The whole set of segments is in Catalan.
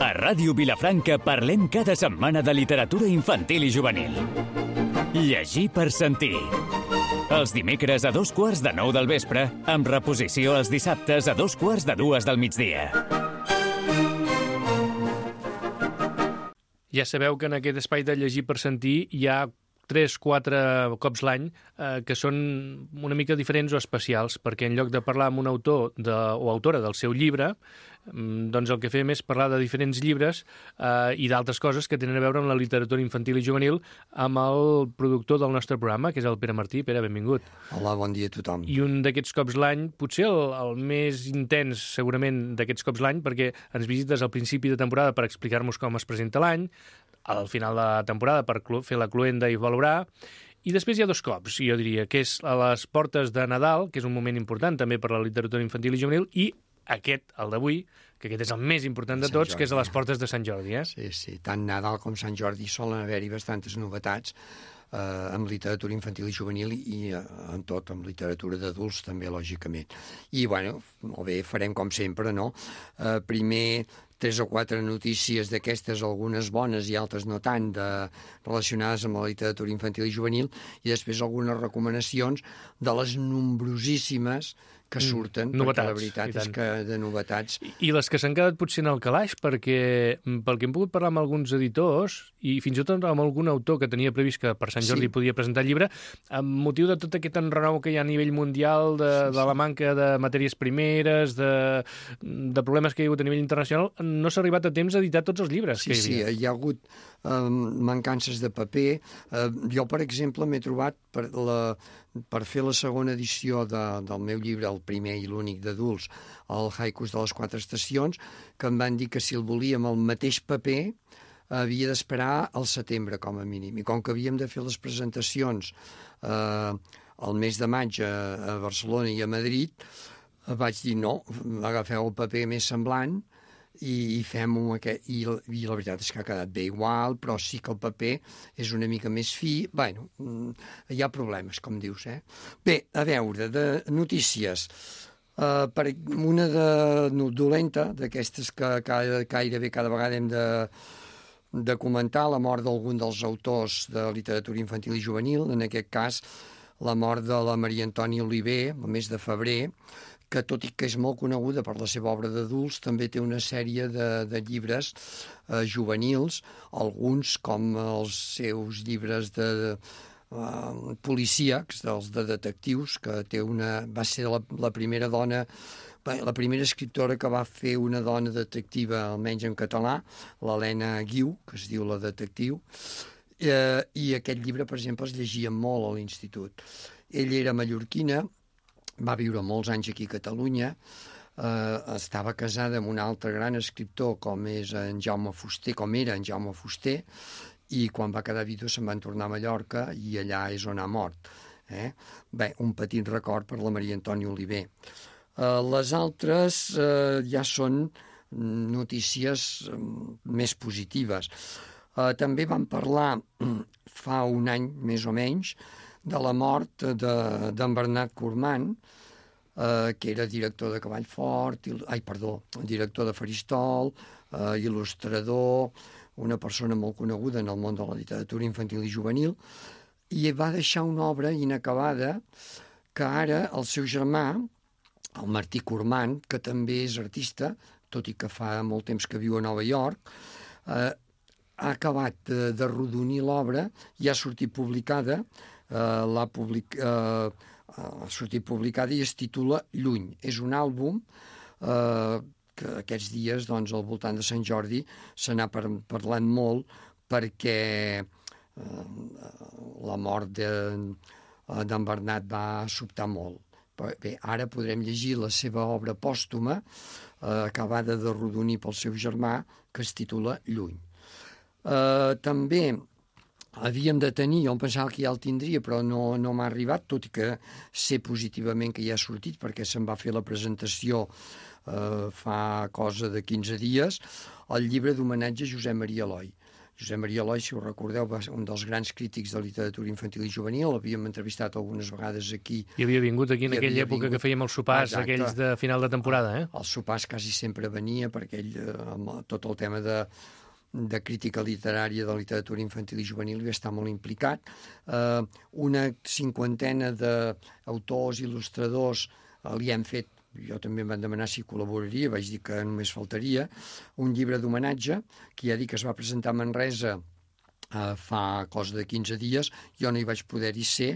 A Ràdio Vilafranca parlem cada setmana de literatura infantil i juvenil. Llegir per sentir. Els dimecres a 8:45 del vespre, amb reposició els dissabtes a 2:45 del migdia. Ja sabeu que en aquest espai de llegir per sentir hi ha 3-4 cops l'any que són una mica diferents o especials, perquè en lloc de parlar amb un autor o autora del seu llibre, doncs el que fem és parlar de diferents llibres i d'altres coses que tenen a veure amb la literatura infantil i juvenil amb el productor del nostre programa, que és el Pere Martí. Pere, benvingut. Hola, bon dia a tothom. I un d'aquests cops l'any, potser el més intens segurament d'aquests cops l'any, perquè ens visites al principi de temporada per explicar-nos com es presenta l'any, al final de la temporada per fer la cloenda i valorar, i després hi ha 2 cops, jo diria, que és a les portes de Nadal, que és un moment important també per la literatura infantil i juvenil, i aquest, el d'avui, que aquest és el més important de tots, que és a les portes de Sant Jordi. Sí, tant Nadal com Sant Jordi solen haver-hi bastantes novetats amb literatura infantil i juvenil i en tot, amb literatura d'adults també, lògicament. I, bueno, molt bé, farem com sempre, no? Primer 3 o 4 notícies d'aquestes, algunes bones i altres no tant, relacionades amb la literatura infantil i juvenil, i després algunes recomanacions de les nombrosíssimes que surten, novetats, perquè la veritat és que de novetats... I les que s'han quedat potser en el calaix, perquè pel que hem pogut parlar amb alguns editors i fins i tot amb algun autor que tenia previst que per Sant Jordi podia presentar el llibre, amb motiu de tot aquest enrenou que hi ha a nivell mundial, de la manca de matèries primeres, de problemes que hi ha hagut a nivell internacional, no s'ha arribat a temps a editar tots els llibres que hi havia. Sí, hi ha hagut mancances de paper. Jo, per exemple, m'he trobat per fer la segona edició del meu llibre, el primer i l'únic d'adults, el Haikus de les 4 estacions, que em van dir que si el volíem el mateix paper havia d'esperar al setembre, com a mínim. I com que havíem de fer les presentacions el mes de maig a Barcelona i a Madrid, vaig dir no, agafeu el paper més semblant i fem-ho aquest. I la veritat és que ha quedat bé igual, però sí que el paper és una mica més fi. Bueno, hi ha problemes, com dius, Bé, a veure, de notícies. Per una dolenta, d'aquestes que gairebé cada vegada hem de comentar, la mort d'algun dels autors de literatura infantil i juvenil, en aquest cas la mort de la Maria Antònia Oliver, el mes de febrer, que tot i que és molt coneguda per la seva obra d'adults, també té una sèrie de llibres juvenils, alguns com els seus llibres de policíacs, dels de detectius, que va ser la primera dona, la primera escriptora que va fer una dona detectiva, almenys en català, l'Helena Guiu, que es diu La detectiu, i aquest llibre, per exemple, es llegia molt a l'institut. Ella era mallorquina, va viure molts anys aquí a Catalunya, estava casada amb un altre gran escriptor com era en Jaume Fuster, i quan va quedar vídua se'n van tornar a Mallorca i allà és on ha mort. Bé, un petit record per la Maria Antònia Oliver. Les altres ja són notícies més positives. També vam parlar fa un any, més o menys, de la mort d'en Bernat Cormant, que era director de Cavallfort, director de Faristol, il·lustrador, una persona molt coneguda en el món de la literatura infantil i juvenil, i va deixar una obra inacabada que ara el seu germà, el Martí Cormant, que també és artista, tot i que fa molt temps que viu a Nova York, ha acabat d'arrodonir l'obra i ha sortit publicada, i es titula Lluny. És un àlbum que aquests dies, doncs, al voltant de Sant Jordi, se n'ha parlant molt perquè la mort d'en Bernat va sobtar molt. Bé, ara podrem llegir la seva obra pòstuma, acabada d'arrodonir pel seu germà, que es titula Lluny. També havíem de tenir, jo em pensava que ja el tindria, però no m'ha arribat, tot i que sé positivament que ja ha sortit, perquè se'n va fer la presentació fa cosa de 15 dies, el llibre d'homenatge a Josep Maria Eloi, Josep Maria Eloi, si ho recordeu, va ser un dels grans crítics de literatura infantil i juvenil, l'havíem entrevistat algunes vegades aquí. I havia vingut aquí en aquella època que fèiem els sopars, aquells de final de temporada, eh? Els sopars quasi sempre venia, perquè ell, amb tot el tema de crítica literària de literatura infantil i juvenil hi està molt implicat. Una 50ena d'autors, il·lustradors li hem fet, jo també em van demanar si col·laboraria, vaig dir que només faltaria, un llibre d'homenatge, que ja dic que es va presentar a Manresa fa cosa de 15 dies, jo no hi vaig poder-hi ser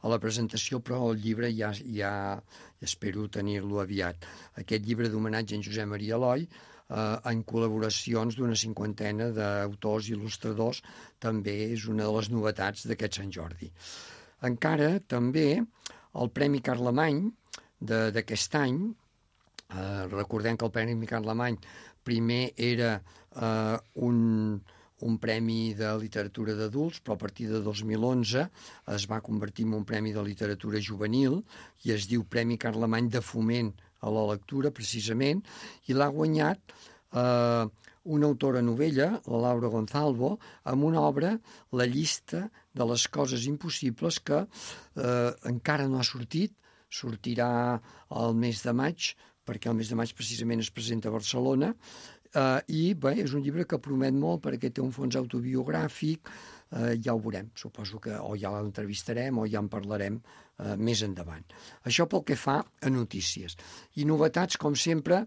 a la presentació, però el llibre ja espero tenir-lo aviat. Aquest llibre d'homenatge en Josep Maria Eloi, en col·laboracions d'una 50ena d'autors i il·lustradors, també és una de les novetats d'aquest Sant Jordi. Encara també el Premi Carlemany d'aquest any, recordem que el Premi Carlemany primer era un premi de literatura d'adults, però a partir de 2011 es va convertir en un premi de literatura juvenil i es diu Premi Carlemany de foment a la lectura, precisament, i l'ha guanyat una autora novella, la Laura Gonzalvo, amb una obra, La llista de les coses impossibles, que encara no ha sortirà al mes de maig, perquè el mes de maig precisament es presenta a Barcelona, i bé, és un llibre que promet molt perquè té un fons autobiogràfic, ja ho veurem, suposo que o ja l'entrevistarem o ja en parlarem més endavant. Això pel que fa a notícies. I novetats, com sempre,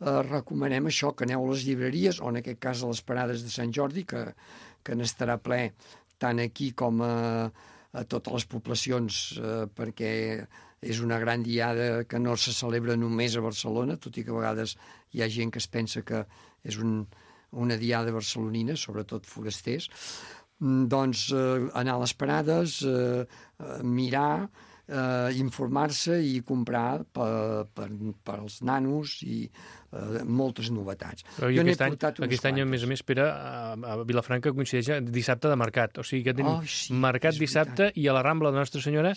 recomanem això, que aneu a les llibreries, o en aquest cas a les parades de Sant Jordi, que n'estarà ple tant aquí com a totes les poblacions, perquè és una gran diada que no se celebra només a Barcelona, tot i que a vegades hi ha gent que es pensa que és una diada barcelonina, sobretot forasters. Doncs anar a les parades, mirar, informar-se i comprar per als nanos i moltes novetats. I aquest any, a més, Pere, a Vilafranca coincideix dissabte de mercat. O sigui que tenim mercat dissabte i a la Rambla de Nostra Senyora,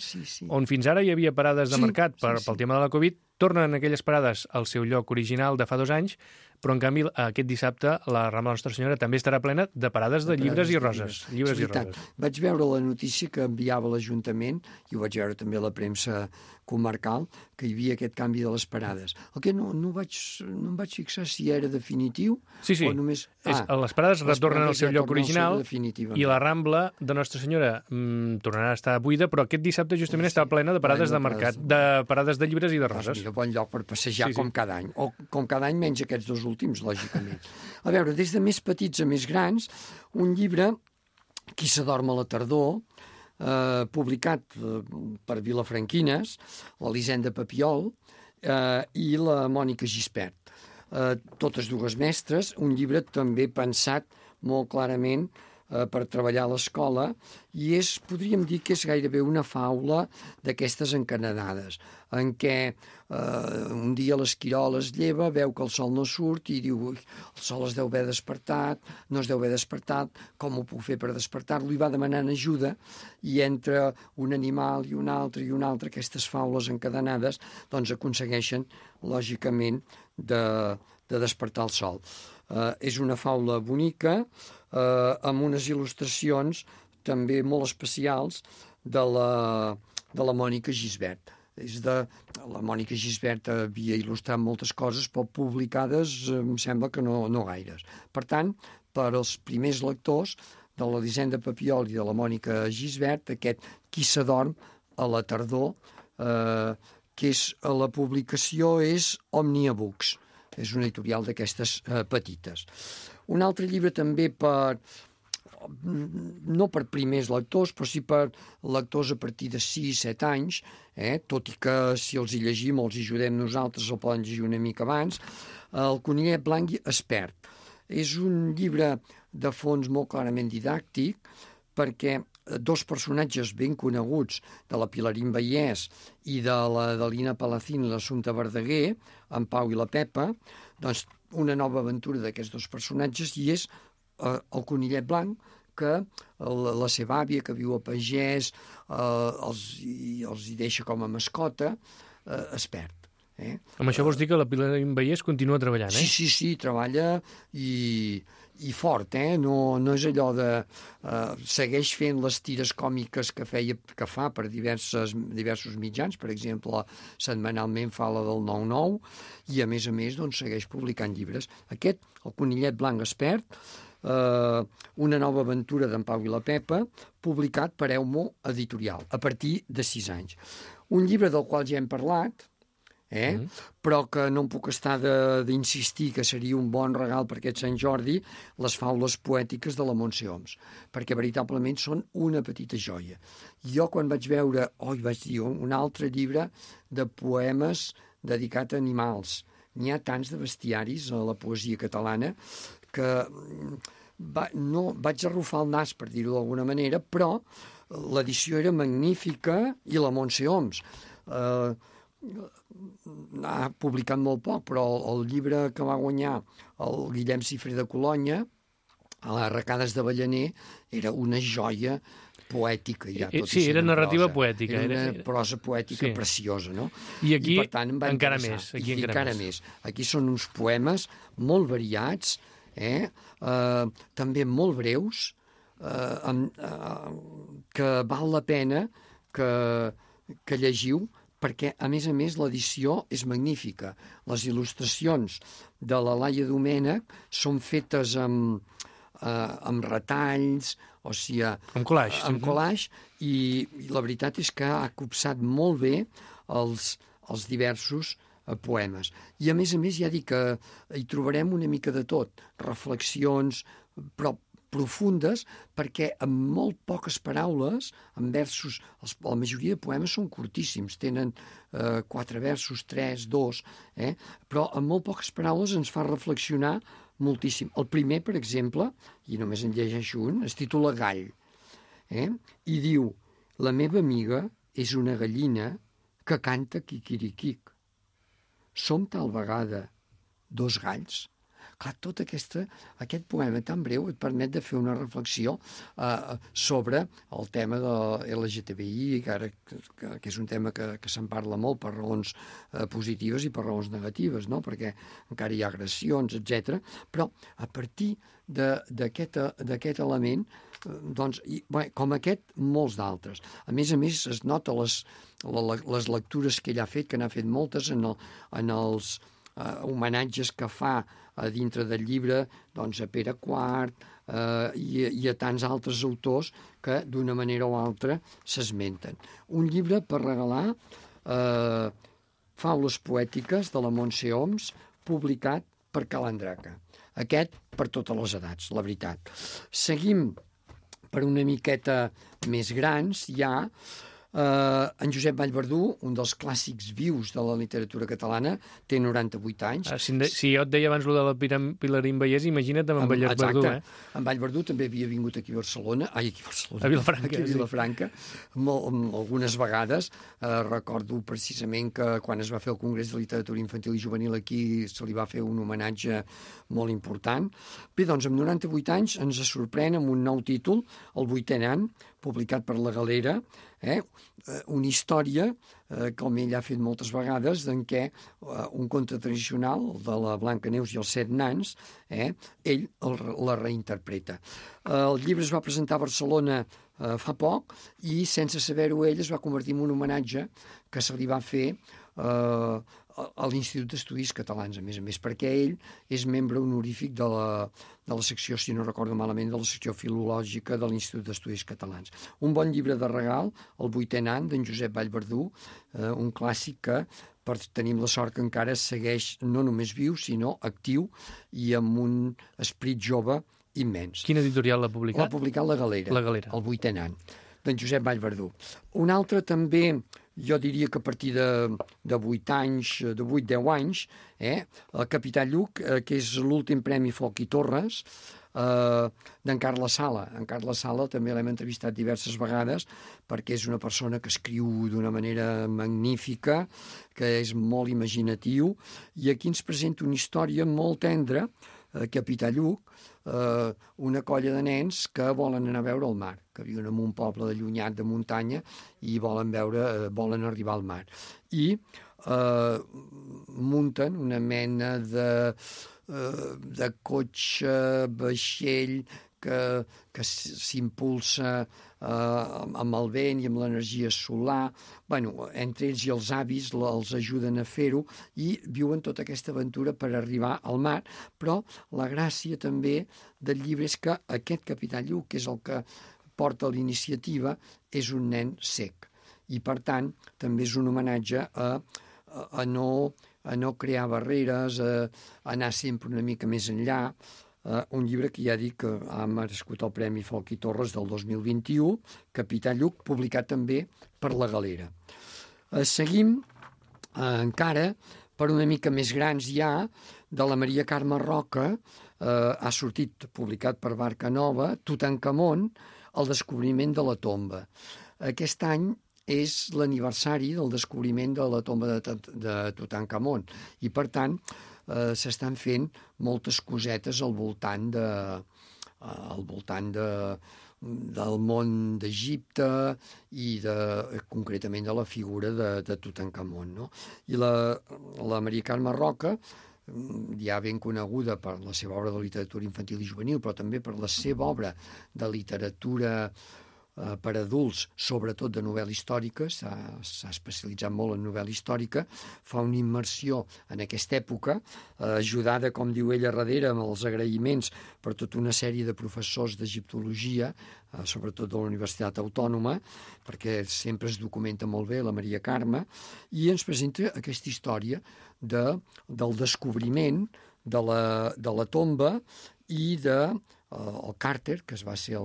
on fins ara hi havia parades de mercat pel tema de la Covid, tornen aquelles parades al seu lloc original de fa 2 anys, però en canvi aquest dissabte la Rambla de Nostra Senyora també estarà plena de parades de llibres i roses. Llibres i roses. Vaig veure la notícia que enviava l'Ajuntament, i ho vaig veure també a la premsa comarcal, que hi havia aquest canvi de les parades. El que no em vaig fixar si era definitiu o només... Les parades retornen al seu lloc original i la Rambla de Nostra Senyora tornarà a estar buida, però aquest dissabte justament està plena de parades de mercat, de parades de llibres i de roses. Mira, bon lloc per passejar com cada any. O com cada any menys aquests 2 últims, lògicament. A veure, des de més petits a més grans, un llibre, Qui s'adorm a la tardor, publicat per Vilafranquines, l'Elisenda Papiol i la Mònica Gispert. Totes dues mestres, un llibre també pensat molt clarament per treballar a l'escola, i podríem dir que és gairebé una faula d'aquestes encadenades, en què un dia l'esquirol es lleva, veu que el sol no surt i diu, el sol es deu haver despertat, no es deu haver despertat, com ho puc fer per despertar-lo? I va demanant ajuda, i entre un animal i un altre, aquestes faules encadenades, doncs aconsegueixen, lògicament, de despertar el sol. És una faula bonica, amb unes il·lustracions també molt especials de la Mònica Gisbert. La Mònica Gisbert havia il·lustrat moltes coses, però publicades em sembla que no gaires. Per tant, per als primers lectors de l'Elisenda Papiol i de la Mònica Gisbert, aquest Qui s'adorm a la tardor, que la publicació és Òmnia Books. És una editorial d'aquestes petites. Un altre llibre també no per primers lectors, però sí per lectors a partir de 6-7 anys, tot i que si els hi llegim o els hi ajudem nosaltres el poden llegir una mica abans, El conillet blanc expert. És un llibre de fons molt clarament didàctic, perquè 2 personatges ben coneguts de la Pilarín Vallès i de la Dalina Palacín i l'Assumpta Verdaguer, en Pau i la Pepa, doncs una nova aventura d'aquests 2 personatges, i és el conillet blanc, que la seva àvia, que viu a Pagès, els hi deixa com a mascota, es perd. Amb això vols dir que la Pilar Vallès continua treballant, eh? Sí, treballa i fort, no és allò de... segueix fent les tires còmiques que fa per diversos mitjans, per exemple, setmanalment fa la del 9-9, i a més, doncs, segueix publicant llibres. Aquest, El conillet blanc expert, una nova aventura d'en Pau i la Pepa, publicat per Eumo Editorial, a partir de 6 anys. Un llibre del qual ja hem parlat, però que no em puc estar d'insistir que seria un bon regal per aquest Sant Jordi, les faules poètiques de la Montse Oms, perquè veritablement són una petita joia. Jo quan vaig veure, vaig dir, un altre llibre de poemes dedicat a animals, n'hi ha tants de bestiaris a la poesia catalana que vaig arrufar el nas, per dir-ho d'alguna manera, però l'edició era magnífica i la Montse Oms ha publicat molt poc, però el llibre que va guanyar el Guillem Cifré de Colonya, a les Arracades d'Avellaner, era una joia poètica. Sí, era narrativa poètica. Era una prosa poètica preciosa, no? I aquí per tant, encara més. Aquí són uns poemes molt variats, també molt breus, que val la pena que llegiu, perquè, a més, l'edició és magnífica. Les il·lustracions de la Laia Domènech són fetes amb retalls, o sigui... Amb collage. Amb collage, i la veritat és que ha copsat molt bé els diversos poemes. I, a més, ja dic que hi trobarem una mica de tot. Reflexions, però profundes, perquè amb molt poques paraules, en versos, la majoria de poemes són curtíssims, tenen 4 versos, 3, 2, però amb molt poques paraules ens fa reflexionar moltíssim. El primer, per exemple, i només en llegeixo un, es titula Gall, i diu: la meva amiga és una gallina que canta quiquiriquic. Som tal vegada 2 galls. Clar, tot aquest poema tan breu et permet de fer una reflexió sobre el tema de LGTBI, que és un tema que se'n parla molt per raons positives i per raons negatives, no? Perquè encara hi ha agressions, etc. Però a partir d'aquest element, doncs, com aquest, molts d'altres. A més, es nota les lectures que ell ha fet, que n'ha fet moltes en els homenatges que fa a dintre del llibre, doncs, a Pere IV i a tants altres autors que d'una manera o altra s'esmenten. Un llibre per regalar, Faules poètiques de la Montse Oms, publicat per Calandraca. Aquest per totes les edats, la veritat. Seguim per una miqueta més grans, ja en Josep Vallverdú, un dels clàssics vius de la literatura catalana, té 98 anys. Si jo et deia abans de la Pilarín Vallès, imagina't amb en Vallverdú. En Vallverdú també havia vingut aquí a Barcelona, a Vilafranca, algunes vegades. Recordo precisament que quan es va fer el Congrés de Literatura Infantil i Juvenil aquí se li va fer un homenatge molt important. Bé, doncs, amb 98 anys ens sorprèn amb un nou títol, El 8è any, publicat per La Galera, una història, com ell ha fet moltes vegades, en què un conte tradicional, de la Blancaneus i els 7 nans, ell la reinterpreta. El llibre es va presentar a Barcelona fa poc i, sense saber-ho ell, es va convertir en un homenatge que se li va fer a l'Institut d'Estudis Catalans, a més, perquè ell és membre honorífic de la secció, si no recordo malament, de la secció filològica de l'Institut d'Estudis Catalans. Un bon llibre de regal, El 8è any, d'en Josep Vallverdú, un clàssic que tenim la sort que encara segueix no només viu, sinó actiu i amb un esperit jove immens. Quina editorial l'ha publicat? L'ha publicat La Galera. El 8è any, d'en Josep Vallverdú. Un altre també, jo diria que a partir de 8 anys, de 8-10 anys, el Capità Lluc, que és l'últim premi Foc i Torres, d'en Carles Sala. En Carles Sala també l'hem entrevistat diverses vegades perquè és una persona que escriu d'una manera magnífica, que és molt imaginatiu, i aquí ens presenta una història molt tendra, Capità Lluc, una colla de nens que volen anar a veure el mar, que viuen en un poble allunyat de muntanya i volen arribar al mar. I munten una mena de cotxe, vaixell, que s'impulsa amb el vent i amb l'energia solar. Bueno, entre ells i els avis els ajuden a fer-ho i viuen tota aquesta aventura per arribar al mar. Però la gràcia també del llibre és que aquest capità Lluc, que és el que porta l'iniciativa, és un nen cec. I, per tant, també és un homenatge a no crear barreres, a anar sempre una mica més enllà. Un llibre que ja dic que ha merescut el Premi Folch i Torres del 2021, Capità Lluc, publicat també per La Galera. Seguim encara per una mica més grans ja, de la Maria Carme Roca, ha sortit publicat per Barca Nova, Tutankamon, el descobriment de la tomba. Aquest any és l'aniversari del descobriment de la tomba de Tutankamon i, per tant, s'estan fent moltes cosetes al voltant del món d'Egipte i concretament de la figura de Tutankamon, no? I la Maria Carme Roca, ja ben coneguda per la seva obra de literatura infantil i juvenil, però també per la seva obra de literatura per adults, sobretot de novel·la històrica, s'ha especialitzat molt en novel·la històrica, fa una immersió en aquesta època, ajudada, com diu ella, darrere amb els agraïments per tota una sèrie de professors d'egiptologia, sobretot de la Universitat Autònoma, perquè sempre es documenta molt bé la Maria Carme, i ens presenta aquesta història del descobriment de la tomba i del Carter, que va ser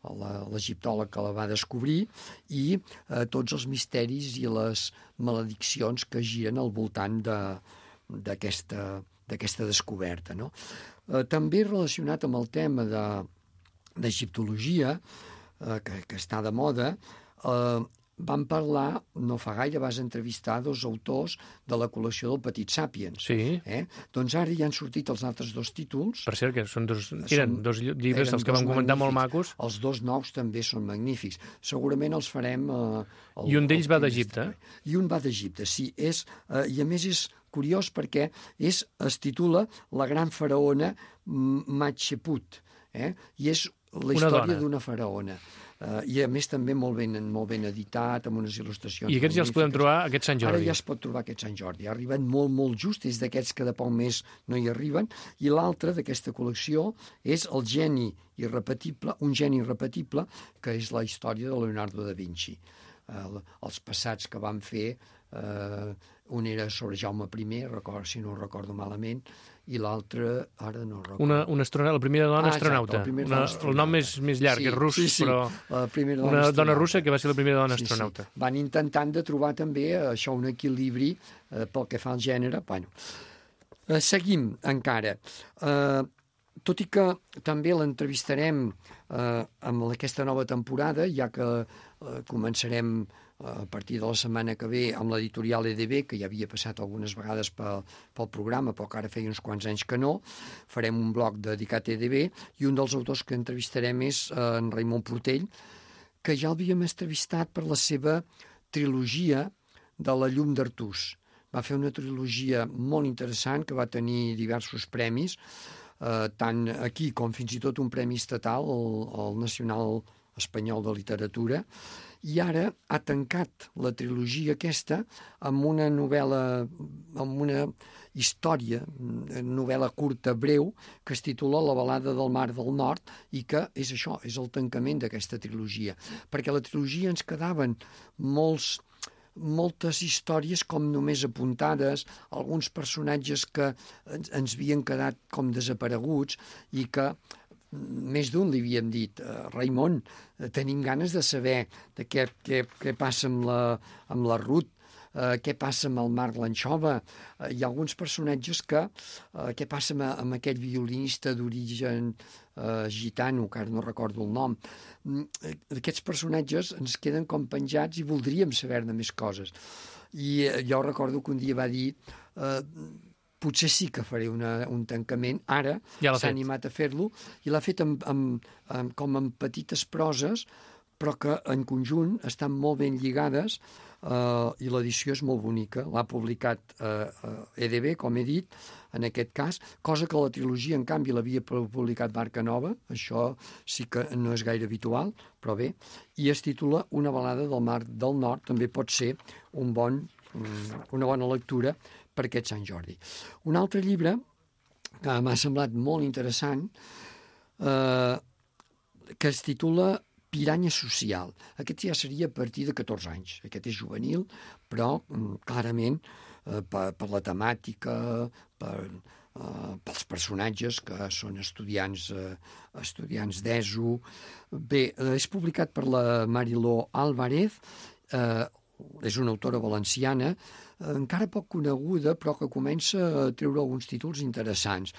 l'egiptòleg que la va descobrir, i tots els misteris i les malediccions que giren al voltant d'aquesta descoberta, no? També relacionat amb el tema d'egiptologia, que està de moda, vam parlar, no fa gaire, vas entrevistar dos autors de la col·lecció del Petit Sàpiens. Sí. Doncs ara ja han sortit els altres dos títols. Per cert, que eren dos llibres dels que vam comentar molt macos. Els dos nous també són magnífics. Segurament els farem... I un d'ells va d'Egipte. I un va d'Egipte, sí. I a més és curiós perquè es titula La gran faraona Hatshepsut, i és la història d'una faraona. I a més també molt ben editat, amb unes il·lustracions. I aquests ja els podem trobar aquest Sant Jordi. Ara ja es pot trobar aquest Sant Jordi. Ha arribat molt, molt just, és d'aquests que de poc més no hi arriben. I l'altre d'aquesta col·lecció és un geni irrepetible, que és la història de Leonardo da Vinci. Els passats que van fer, un era sobre Jaume I, si no ho recordo malament, i l'altre, ara no recordo. La primera dona astronauta. El nom és més llarg, és rus, però una dona russa que va ser la primera dona astronauta. Van intentant de trobar també això, un equilibri pel que fa al gènere. Seguim encara. Tot i que també l'entrevistarem amb aquesta nova temporada, ja que començarem a partir de la setmana que ve amb l'editorial EDB, que ja havia passat algunes vegades pel programa, però que ara feia uns quants anys que no. Farem un blog dedicat a EDB i un dels autors que entrevistarem és en Raimon Portell, que ja l'havíem entrevistat per la seva trilogia de La llum d'Artús. Va fer una trilogia molt interessant que va tenir diversos premis, tant aquí com fins i tot un premi estatal, el Nacional Espanyol de Literatura, i ara ha tancat la trilogia aquesta amb una novel·la, amb una història, novel·la curta, breu, que es titula La balada del Mar del Nord, i que és això, és el tancament d'aquesta trilogia. Perquè la trilogia ens quedaven moltes històries com només apuntades, alguns personatges que ens havien quedat com desapareguts i que més d'un li havíem dit, Raimon, tenim ganes de saber de què passa amb la Ruth, què passa amb el Marc l'Anxova. Hi ha alguns personatges què passa amb aquell violinista d'origen gitano, que ara no recordo el nom. Aquests personatges ens queden com penjats i voldríem saber-ne més coses. I jo recordo que un dia va dir... potser sí que faré un tancament. Ara ja s'ha animat a fer-lo i l'ha fet com en petites proses, però que en conjunt estan molt ben lligades i l'edició és molt bonica. L'ha publicat EDB, com he dit, en aquest cas, cosa que la trilogia, en canvi, l'havia publicat Barca Nova, això sí que no és gaire habitual, però bé, i es titula Una balada del Mar del Nord, també pot ser una bona lectura per aquest Sant Jordi. Un altre llibre que m'ha semblat molt interessant, que es titula Piranya social. Aquest ja seria a partir de 14 anys. Aquest és juvenil, però clarament per la temàtica, pels personatges que són estudiants d'ESO. Bé, és publicat per la Mariló Álvarez, és una autora valenciana, encara poc coneguda, però que comença a treure alguns títols interessants.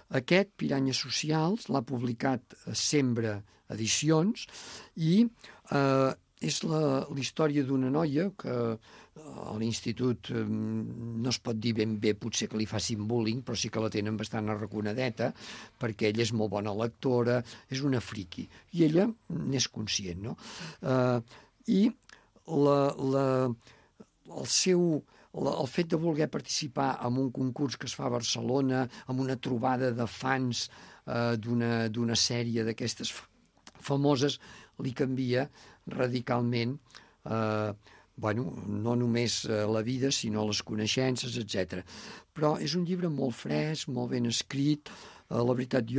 Aquest, Piranya Socials, l'ha publicat Sembra Edicions i és la història d'una noia que a l'institut no es pot dir ben bé potser que li facin bullying, però sí que la tenen bastant arraconadeta perquè ella és molt bona lectora, és una friqui, i ella n'és conscient, no? I el fet de voler participar en un concurs que es fa a Barcelona, amb una trobada de fans d'una sèrie d'aquestes famoses, li canvia radicalment no només la vida, sinó les coneixences, etc. Però és un llibre molt fresc, molt ben escrit. La veritat,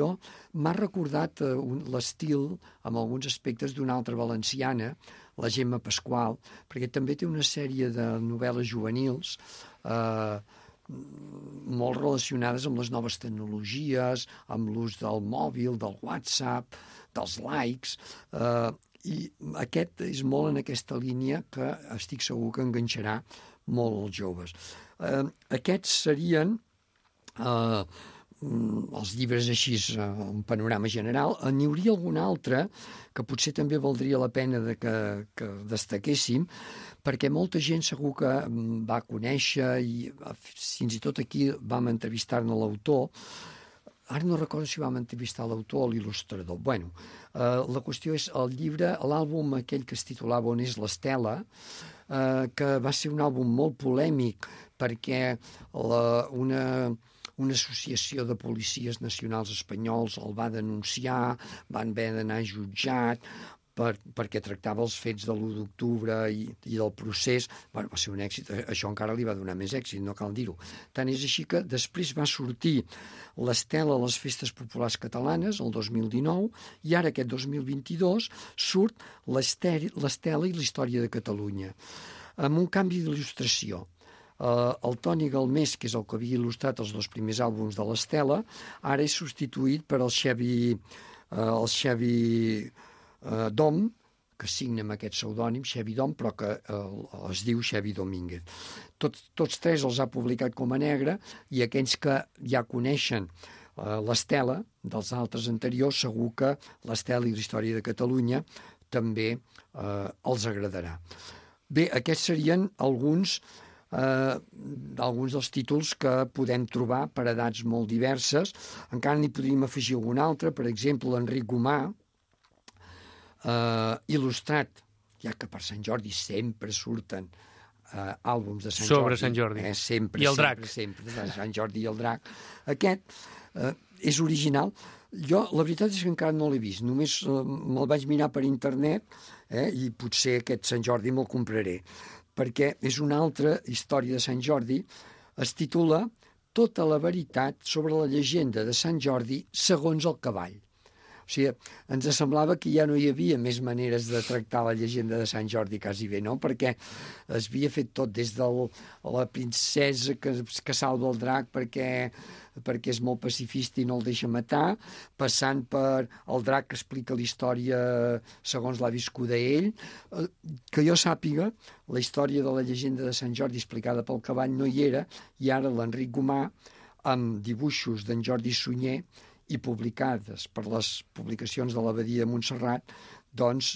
m'ha recordat l'estil, amb alguns aspectes, d'una altra valenciana, la Gemma Pasqual, perquè també té una sèrie de novel·les juvenils molt relacionades amb les noves tecnologies, amb l'ús del mòbil, del WhatsApp, dels likes, i aquest és molt en aquesta línia que estic segur que enganxarà molt els joves. Aquests serien els llibres així, un panorama general. N'hi hauria algun altre que potser també valdria la pena que destaquéssim, perquè molta gent segur que va conèixer, i fins i tot aquí vam entrevistar-ne l'autor. Ara no recordo si vam entrevistar l'autor o l'il·lustrador. Bueno, la qüestió és el llibre, l'àlbum aquell que es titulava On és l'Estela, que va ser un àlbum molt polèmic perquè una associació de policies nacionals espanyols el va denunciar, van haver d'anar jutjat perquè tractava els fets de l'1 d'octubre i del procés. Va ser un èxit, això encara li va donar més èxit, no cal dir-ho. Tant és així que després va sortir l'Estela a les Festes Populars Catalanes, el 2019, i ara aquest 2022 surt l'Estela i la història de Catalunya, amb un canvi d'il·lustració. El Toni Galmés, que és el que havia il·lustrat els 2 primers àlbums de l'Estela, ara és substituït per el Xavi Dom, que signa amb aquest pseudònim, Xavi Dom, però que es diu Xavi Domínguez. Tots 3 els ha publicat com a negre, i aquells que ja coneixen l'Estela dels altres anteriors, segur que l'Estela i la història de Catalunya també els agradarà. Bé, aquests serien alguns dels títols que podem trobar per edats molt diverses. Encara n'hi podríem afegir algun altre, per exemple, l'Enric Gomà, il·lustrat, ja que per Sant Jordi sempre surten àlbums de Sant Jordi. Sobre Sant Jordi. Sempre, I el drac. Sempre, de Sant Jordi i el drac. Aquest és original. Jo, la veritat és que encara no l'he vist, només me'l vaig mirar per internet, i potser aquest Sant Jordi me'l compraré, perquè és una altra història de Sant Jordi. Es titula Tota la veritat sobre la llegenda de Sant Jordi segons el cavall. O sigui, ens semblava que ja no hi havia més maneres de tractar la llegenda de Sant Jordi, quasi bé, no? Perquè es havia fet tot des de la princesa que salva el drac perquè és molt pacifista i no el deixa matar, passant per el drac que explica la història segons l'ha viscuda ell. Que jo sàpiga, la història de la llegenda de Sant Jordi explicada pel cavall no hi era, i ara l'Enric Gomà, amb dibuixos d'en Jordi Sunyer i publicades per les publicacions de l'Abadia de Montserrat, doncs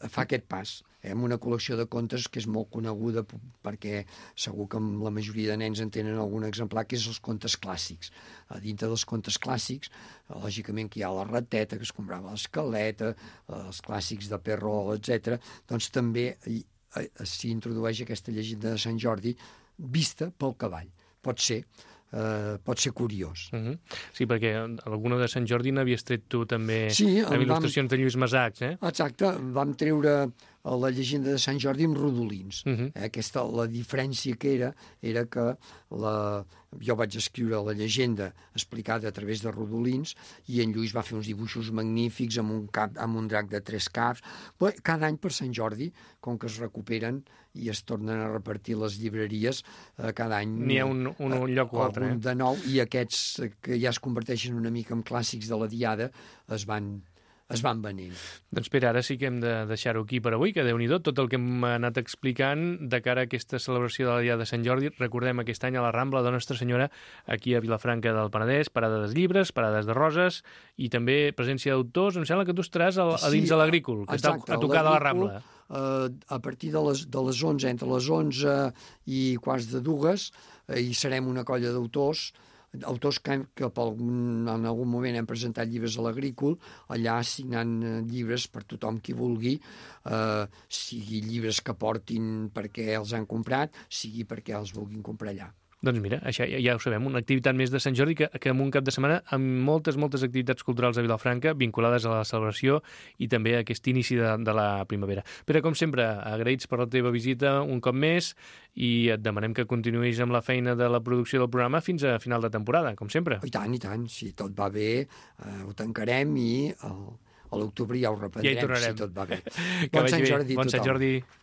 fa aquest pas, amb una col·lecció de contes que és molt coneguda perquè segur que la majoria de nens en tenen algun exemplar, que és els contes clàssics. A dintre dels contes clàssics, lògicament que hi ha la rateta, que es comprava l'escaleta, els clàssics de Perrault, etc. Doncs també s'hi introdueix aquesta llegenda de Sant Jordi vista pel cavall. Pot ser curiós. Sí, perquè alguna de Sant Jordi n'havies tret tu també amb il·lustracions de Lluís Massacs, eh? Exacte, vam treure la llegenda de Sant Jordi amb rodolins. La diferència que era que jo vaig escriure la llegenda explicada a través de rodolins i en Lluís va fer uns dibuixos magnífics amb un drac de 3 caps. Però cada any per Sant Jordi, com que es recuperen i es tornen a repartir les llibreries, cada any n'hi ha un lloc o altre. De nou, i aquests que ja es converteixen una mica en clàssics de la Diada es van venent. Doncs Pere, ara sí que hem de deixar-ho aquí per avui, que Déu-n'hi-do tot el que hem anat explicant de cara a aquesta celebració de la Diada de Sant Jordi. Recordem aquest any a la Rambla de Nostra Senyora, aquí a Vilafranca del Penedès, parada dels llibres, parades de roses i també presència d'autors. Em sembla que tu estaràs a dins de l'Agrícola, que està a tocar de la Rambla. A partir de les 11, entre les 11 i quarts de 2, hi serem una colla d'autors que en algun moment hem presentat llibres a l'Agrícola, allà signant llibres per tothom qui vulgui, sigui llibres que portin perquè els han comprat, sigui perquè els vulguin comprar allà. Doncs mira, això ja ho sabem, una activitat més de Sant Jordi que en un cap de setmana amb moltes activitats culturals a Vilafranca vinculades a la celebració i també a aquest inici de la primavera. Però, com sempre, agraïts per la teva visita un cop més i et demanem que continuïs amb la feina de la producció del programa fins a final de temporada, com sempre. I tant, si tot va bé, ho tancarem i a l'octubre ja ho reprendrem, si tot va bé. Bon Sant Jordi.